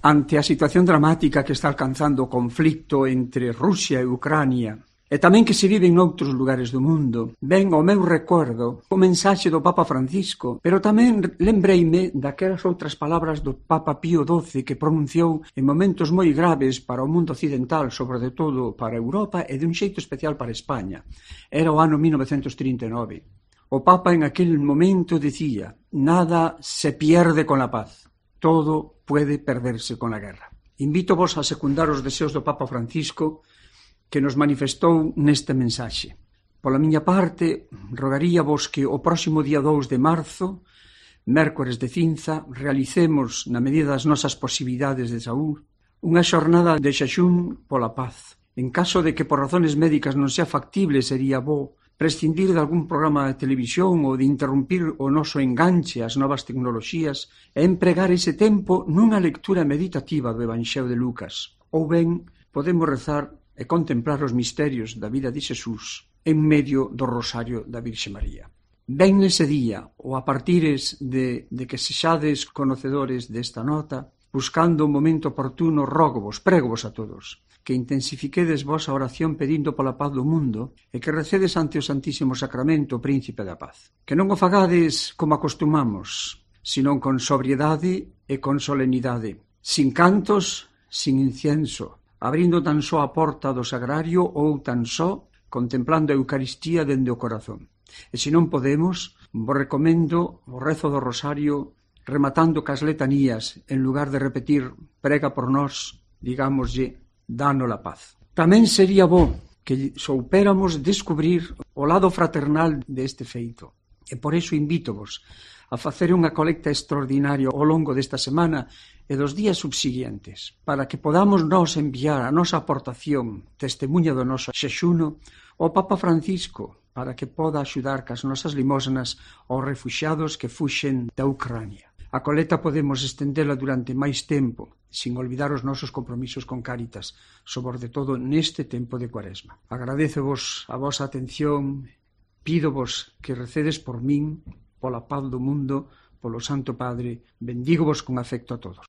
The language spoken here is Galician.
ante a situación dramática que está alcanzando o conflicto entre Rusia e Ucrania, e tamén que se vive en outros lugares do mundo, ven ao meu recuerdo o mensaxe do Papa Francisco, pero tamén lembreime daquelas outras palabras do Papa Pío XII que pronunciou en momentos moi graves para o mundo occidental, sobre todo para Europa e de un xeito especial para España. Era o ano 1939. O Papa en aquel momento decía: nada se pierde con la paz. Todo puede perderse con la guerra. Invítovos a secundar os deseos do Papa Francisco que nos manifestou neste mensaxe. Pola miña parte, rogaríavos que o próximo día 2 de marzo, mércores de cinza, realicemos, na medida das nosas posibilidades de saúde, unha xornada de xaxún pola paz. En caso de que por razones médicas non sea factible, sería bo prescindir de algún programa de televisión ou de interrumpir o noso enganche ás novas tecnoloxías e empregar ese tempo nunha lectura meditativa do Evanxeo de Lucas. Ou ben, podemos rezar e contemplar os misterios da vida de Xesús en medio do rosario da Virxe María. Ben nese día, ou a partires de que sexades conocedores desta nota, buscando un momento oportuno, rógovos, prégovos a todos, que intensifiquedes vosa oración pedindo pola paz do mundo e que recedes ante o Santísimo Sacramento o Príncipe da Paz. Que non o fagades como acostumamos, senón con sobriedade e con solemnidade, sin cantos, sin incienso, abrindo tan só a porta do sagrario ou tan só contemplando a Eucaristía dende o corazón. E se non podemos, vos recomendo o rezo do rosario rematando cas letanías, en lugar de repetir prega por nós, digámoslle danos la paz. Tamén sería bo que soupéramos descubrir o lado fraternal deste feito. E por iso invítovos a facer unha colecta extraordinaria ao longo desta semana e dos días subsiguientes, para que podamos nós enviar a nosa aportación, testemunha do noso xexuno, ao Papa Francisco, para que poda axudar cas nosas limosnas aos refuxiados que fuxen da Ucrania. A coleta podemos estendela durante máis tempo, sin olvidar os nosos compromisos con Cáritas, sobre todo neste tempo de Cuaresma. Agradecevos a vosa atención, pídovos que recedes por min, pola paz do mundo, polo Santo Padre, bendígovos con afecto a todos.